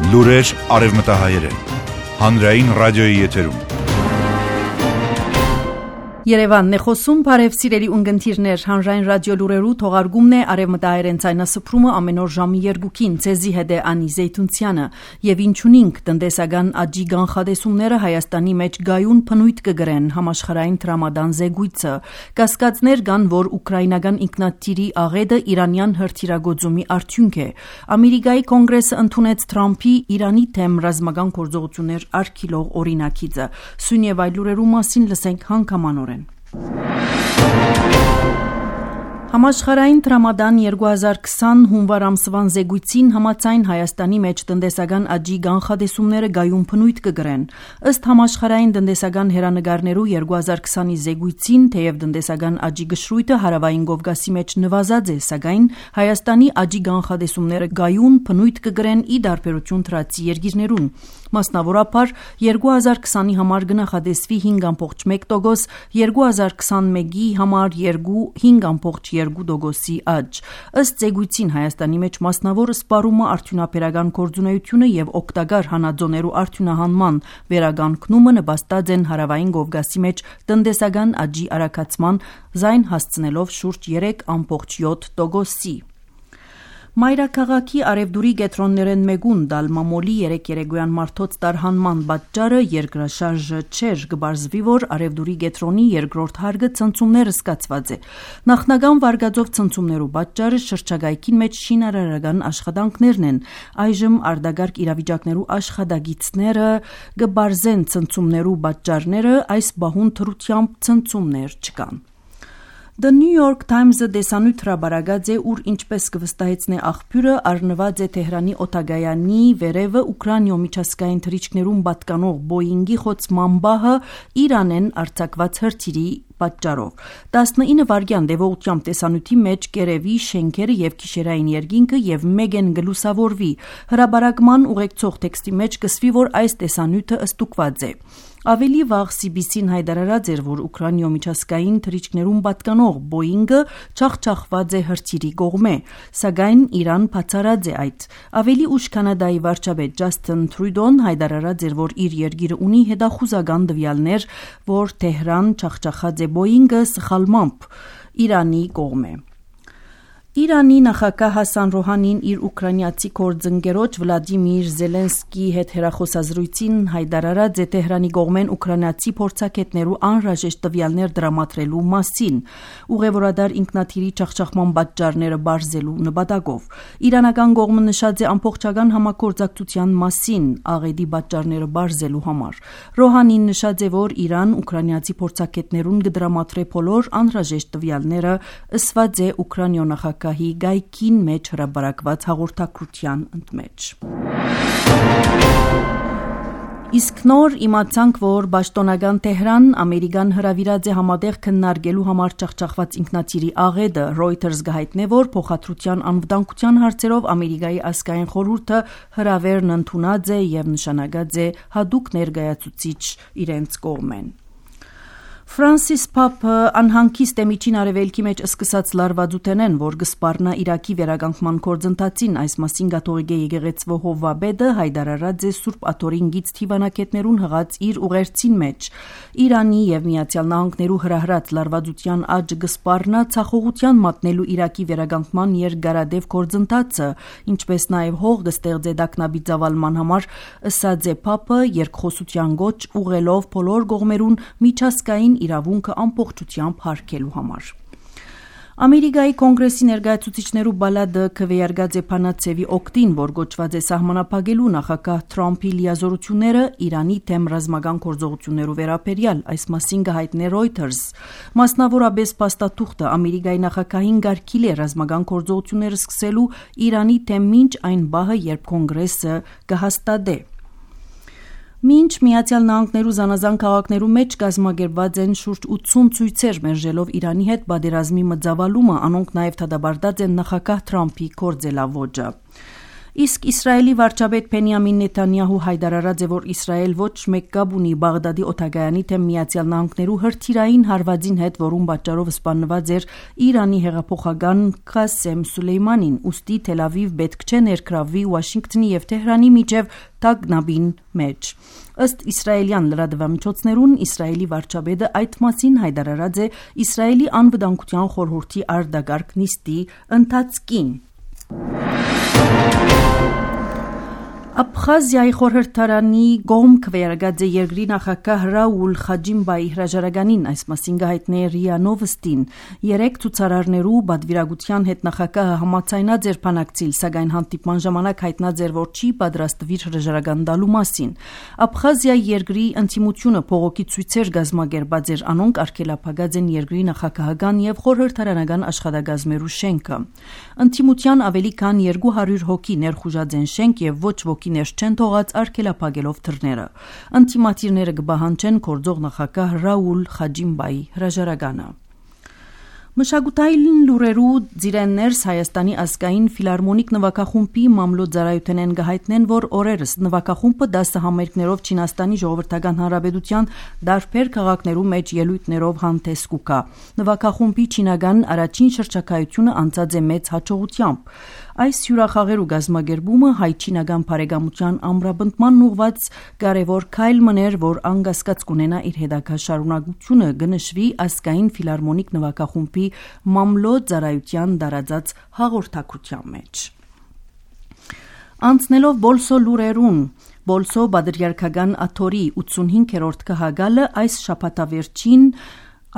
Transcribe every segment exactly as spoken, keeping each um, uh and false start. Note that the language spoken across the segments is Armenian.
Լուրեր արևմտահայերեն։ Հանրային ռադիոյի եթերում։ Երևանն է խոսում, բարև սիրելի ունգընտիրներ, հանրային ռադիո լուրերու թողարկումն է արևմտահայերեն ցայնասփռումը ամեն օր ժամի երկուքին, ցեզի հետ է Անի Զեյթունցյանը, եւ ինչունինք տնտեսական աճի կանխատեսումները Հայաստանի մեջ գայուն փնույթ կգրեն համաշխարհային տրամադան զեկույցը, կասկածներ կան, որ ուկրաինական ինքնաթիռի աղետը իրանյան հրթիռագործումի արդյունք է։ Ամերիկայի կոնգրեսը ընդունեց Թրամփի Իրանի թեմ ռազմական գործողություններ արգելող օրինակիցը։ Սույն եւ այլ լուրերու մասին լսենք հանգամանորեն։ Համաշխարհային տրամադան երկու հազար քսան հունվար ամսվան զեկույցին համաձայն Հայաստանի մեջ տնտեսական աճի կանխատեսումները գայուն փնույթ կգրեն։ Ըստ համաշխարհային տնտեսական հերանեկարներու երկու հազար քսանի զեկույցին, թեև տնտեսական աճի գշրույթը հարավային Կովկասի մեջ նվազած է, սակայն Հայաստանի աճի կանխատեսումները գայուն փնույթ կգրեն ի դարբերություն թրացի երկիրներուն։ Մասնավորապես երկու հազար քսանի համար գնահատեսվի հինգ ամբողջ մեկ տոկոս, երկու հազար քսանմեկի համար հինգ ամբողջ երկու տոկոսի աճ։ Ըստ զեկույցին Հայաստանի մեջ մասնավոր սպառումը արդյունաբերական գործունեությունը եւ օգտակար հանածոներու արդյունահանման վերականգնումը նպաստած են հարավային Կովկասի մեջ տնտեսական աճի արագացման զայն հասցնելով շուրջ երեք ամբողջ յոթ տոկոսի։ Մայրաքաղաքի արևդուրի գետրոններեն մեկուն դալմամոլի երեք երեկոյան մարդոց տարհանման պատճառը երկրաշարժը չէր, կբարձվի, որ արևդուրի գետրոնի երկրորդ հարգը ցնցումները սկացված է։ Նախնական վարկածով ցնցումներու պատճառը շրջագայքին մեջ շինարարական աշխատանքներն են։ Այժմ արտագարգ իրավիճակներու աշխատագիցները կբարձեն ցնցումներու պատճառները, այս բահուն թրությամբ ցնցումներ չկան։ The New York Times-ը դեսանյութ հրաբարակած է, ուր ինչպես կվստահեցնե աղբյուրը, առնված է Թեհրանի օտագայանի վերևը Ուկրաինո միջազգային թռիչքներուն պատկանող Բոյինգի խոցման բահը Իրանեն արձակված հրթիռի պատճառով։ տասնինը վայրկյան դեպողությամբ տեսանյութի մեջ կերևի շենքերը եւ գիշերային երկինքը եւ մեգեն գլուսավորվի։ Հրաբարակման ուղեկցող տեքստի մեջ կսվի, որ այս տեսանյութը ստուգված է։ Ավելի վաղ C B C-ն հայտարարած էր, որ Ուկրաինո միջազգային թռիչքներուն պատկանող Բոյինգը չախչախված է հրթիռի կողմէ, սակայն Իրան բացառած է այդ։ Ավելի ուշ Կանադայի վարչապետ Ջասթին Թրյուդոն հայտարարած էր, որ իր երկիրը ունի հետախուզական տվյալներ, որ Թեհրան չախչախած է Բոյինգը սխալմամբ Իրանի կողմէ։ Իրանի նախագահ Հասան Ռոհանին իր ուկրաինացի գործընկերոջ Վլադիմիր Զելենսկի հետ հեռախոսազրույցին հայտարարած է Թեհրանի կողմեն ուկրաինացի փորձագետներու անհրաժեշտ տվյալներ դրամատրելու մասին, ուղևորադար ինքնաթիռի չախչախման պատճառները բարձելու նպատակով։ Իրանական կողմը նշած է ամբողջական համագործակցության մասին աղետի պատճառները բարձելու համար։ Ռոհանին նշած է, որ Իրան ուկրաինացի փորձագետներուն կդրամատրե բոլոր անհրաժեշտ տվյալները, ըսված է Ուկրաինո նախագահ գայքին մեջ հրաբարակված հաղորդակցության ընդմեջ։ Իսկ նոր իմացանք, որ պաշտոնական Թեհրան Ամերիկան հրավիրած է համատեղ քննարկելու համար ճախճախված ինքնաթիռի աղետը։ Reuters գահիտնե, որ փոխադրության անվտանգության հարցերով Ամերիկայի ազգային խորհուրդը հրավերն ընդունած է եւ նշանակած է հատուկ ներկայացուցիչ իրենց կողմեն։ Ֆրանսիս Փափը անհանգիստ է միջին արևելքի մեջ սկսած լարվածութենեն, որ կսպառնա Իրաքի վերականգնման գործընթացին, այս մասին կաթողիկ եկեղեցու հովվաբեդը հայտարարած է Սուրբ Աթորինգից թիվանակետներուն հղած իր ուղերձին մեջ։ Իրանի եւ Միացյալ Նահանգներու հրահրած լարվածության աճը կսպառնա ցախողության մատնելու Իրաքի վերականգնման երկարադեպ գործընթացը, ինչպես նաեւ հող կստեղծե դակնաբի ծավալման համար, ըսած է Փափը երկխոսության գոչ ուղղելով բոլոր կողմերուն միջազգային իրավունքը ամբողջությամբ հարգելու համար։ Ամերիկայի կոնգրեսի ներկայացուցիչներու բալադը քվեարկած է Փանացեվի օկտին, որ գոչված է սահմանափակելու նախագահ Թրամփի լիազորությունները Իրանի թեմ ռազմական գործողություններու վերաբերյալ, այս մասին կհայտնե Reuters։ Մասնավորապես փաստաթուղթը Ամերիկայի նախագահին գարկիլ է ռազմական գործողությունները սկսելու Իրանի թեմ մինչ այն բահը, երբ կոնգրեսը կհաստատե։ Մինչ Միացյալ Նահանգներու զանազան քաղաքներու մեջ կազմակերպված են շուրջ ութսուն ցույցեր մերժելով Իրանի հետ պատերազմի մծավալումը, անոնք նաև դադարեցած են նախագահ Թրամփի գործելավոճը։ Իսկ Իսրայելի վարչապետ Բենյամին Նեթանյահու հայտարարած է, որ Իսրայել ոչ մեկ կապ ունի Բաղդադի օդագայանի թեմ Միացյալ Նահանգներու հրթիռային հարվածին հետ, որում պատճառով սպանված էր Իրանի հեղափոխական Ղասեմ Սուլեյմանին, ուստի Թել Ավիվ պետք չէ ներգրավվի Վաշինգտոնի եւ Թեհրանի միջև տագնապին մեջ։ Ըստ իսրայելյան լրատվամիջոցներուն Իսրայելի վարչապետը այդ մասին հայտարարած է Իսրայելի անվտանգության խորհրդի արտագարկ նիստի ընթացքին։ Աբխազիայի խորհրդարանի գոմ քվերագած է երկրի նախագահ Ռաուլ Խաջիմբայի հրաժարականին, այս մասին գահիտնե Ռիա Նովստին։ Երեք ցուցարարներու բադվիրագության հետ նախագահը համաձայնած էր բանակցիլ, սակայն հանդիպման ժամանակ հայտնած էր, որ չի պատրաստվիր հրաժարական տալու մասին։ Աբխազիայի երկրի ինտիմությունը փողոքի ցույցեր գազմագերբած էր, անոնք արգելափակած են երկրի նախագահական եւ խորհրդարանական աշխատակազմերու շենքը։ Ինտիմության ավելի քան երկու հարյուր հոգի ներխուժած են շենք եւ ոչ ոքի ներս չեն թողած արգելափակելով դռները։ Ինտիմատիրները կբահանջեն գործող նախագահ Ռաուլ Խաջիմբայի հրաժարականը։ Մշակութային լուրերու ձիրեններս Հայաստանի ազգային ֆիլարմոնիկ նվագախումբի մամլոյ ծառայությունեն գահիտնեն, որ օրերս նվագախումբը դասը համերգներով Չինաստանի ժողովրդական հանրապետության դարբեր քաղաքներու մեջ ելույթներով հանդես կուկա։ Նվագախումբի չինական առաջին շրջակայությունը անցած է մեծ հաջողությամբ։ Այս հյուրախաղերու գազմագերբումը հայ-չինական բարեկամության ամրապնդման ուղված կարևոր քայլ մներ, որ անկասկած կունենա իր հետագա շարունակությունը, կնշվի ազգային ֆիլարմոնիկ նվագախումբի մամլոյ ծառայության տարածած հաղորդակցության մեջ։ Անցնելով Բոլսո լուրերուն, Բոլսո բادرյարքական աթորի ութսունհինգերորդ քահագալը այս շաբաթավերջին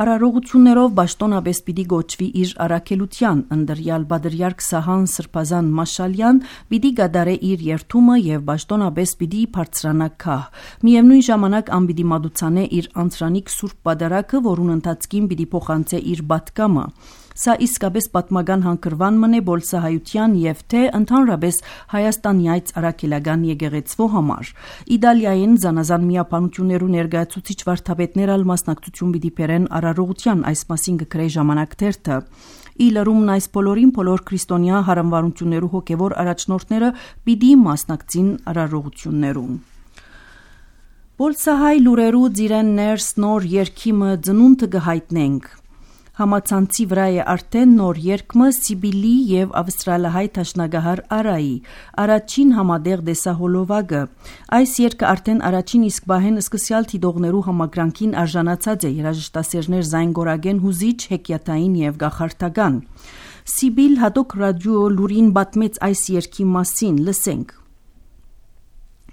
Արարողություններով Բաշտոնաբես պիտի գոչվի իր առաքելության, ընդրյալ բادرյարք Սահան Սրբազան Մաշալյան պիտի գադարե իր երթումը եւ Բաշտոնաբես պիտի բարձրանա քահ։ Միևնույն ժամանակ ան պիտի մատուցանե իր անցրանիկ սուրբ պատարակը, որուն ընթացքին պիտի փոխանցե իր բատկամը։ Սա իսկապես պատմական հանգրվան մնե բոլսահայության եւ թե ընդհանրապես Հայաստանյայց առաքելական եկեղեցվո համար։ Իտալիայեն զանազան միապանություններու ներկայացուցիչ վարդապետներ ալ մասնակցություն պիտի բերեն արարողության, այս մասին կգրե ժամանակ թերթը։ Ի լրումն այս բոլորին բոլոր քրիստոնյա հարամվարություններու հոգևոր առաջնորդները պիտի մասնակցին արարողություններուն։ Բոլսահայ լուրերու ձիրեններս նոր երկիմը ծնունդը կհայտնենք։ Համացանցի վրա է արդեն նոր երկմը Սիբիլի եւ ավստրալահայ տաշնագահար Արայի, առաջին համադեղ դեսահոլովակը։ Այս երկը արդեն առաջին իսկ բահեն սկսյալ թիդողներու համակրանքին արժանացած է, երաժշտասերներ զայնգորագեն հուզիչ, հեքիաթային եւ գախարտական։ Սիբիլ հատոկ ռադիո լուրին պատմեց այս երկի մասին, լսենք։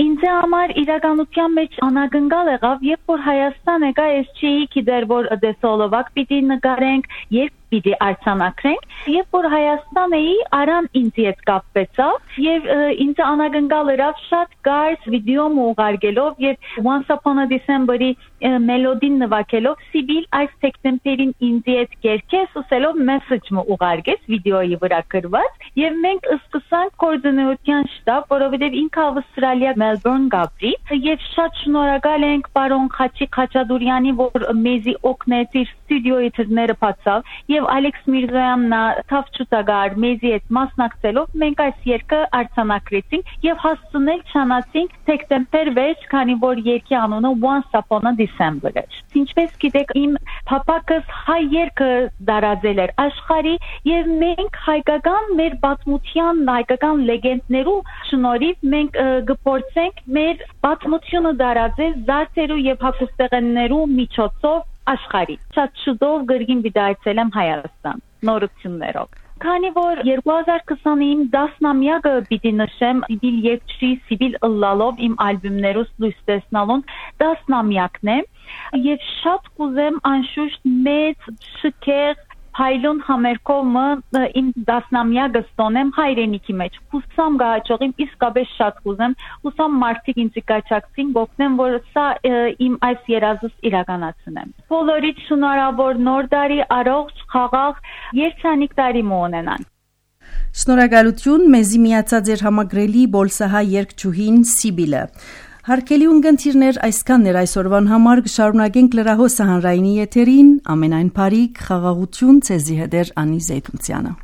Ինձ համար իրականության մեջ անագնկալ եղավ, երբ որ Հայաստան եկա, ես չէի գիտեր, որ դեսոլովակ պիտի նկարենք, երբ պիտի արձանագրենք, երբ որ Հայաստան էի, Արան ինձ հետ կապվեցավ եւ ինձ անագնկալ եղավ շատ կարճ վիդեո ուղարկելով եւ Once Upon a December-ի մելոդին նվագելով Սիբիլ այս սեպտեմբերին ինձ հետ կերկես ուսելով մեսեջ ուղարկեց վիդեոյի վրա գրված եւ մենք սկսանք կոորդինացիոն շտաբ, որովհետեւ ինքը Ավստրալիա Մելբուրն գաբրի եւ շատ շնորհակալ ենք պարոն Խաչի Խաչատուրյանի, որ մեզի օգնեց իր ստուդիոյի դռները բացավ եւ Ալեքս Միրզոյանն թավ ճուտագար մեզի հետ մասնակցելով մենք այս երկը արձանագրեցինք եւ հասցնել չանացինք սեպտեմբեր վեց, քանի որ երկի անունը Once Upon a December էր։ Ինչպես գիտեք, իմ փապակս հայ երկը դարաձել էր աշխարհի եւ մենք հայկական մեր պատմության, հայկական լեգենդներու շնորհիվ մենք գործենք մեր պատմությունը դարաձել զարդերու եւ հագուստեղեններու միջոցով աշխարհի։ Շատ շուտով գրգին վիդայցել եմ Հայաստան նորություններով։ Քանի որ երկու հազար քսանինը դասնամյակը պիտի նշեմ Սիբիլ երկչի Սիբիլ ըլլալով իմ ալբոմներուս լույս տեսնալուն դասնամյակն է եւ շատ կուզեմ անշուշտ մեծ շքեղ Հայլուն համերկոմը իմ դասնամյակը ստոնեմ հայրենիքի մեջ։ Հուսամ գահաճողիմ իսկապես շատ կուզեմ, հուսամ մարդիկ ինձ կաչակցին, գոհնեմ, որ սա իմ այս երազս իրականացնեմ։ Բոլորիդ շնորհավոր նոր տարի, առողջ, խաղաղ, երջանիկ տարի մոնենան։ Շնորհակալություն մեզի միացած էր համագրելի բոլսահայ երկչուհին Սիբիլը։ Հարկելի ունգընթիրներ այսքանն էր այսօրվան համար, կշարունակենք լրահոսը հանրայինի եթերին, ամենայն բարիք, խաղաղություն, ցեզի հետ էր Անի Զեյթունցյանը։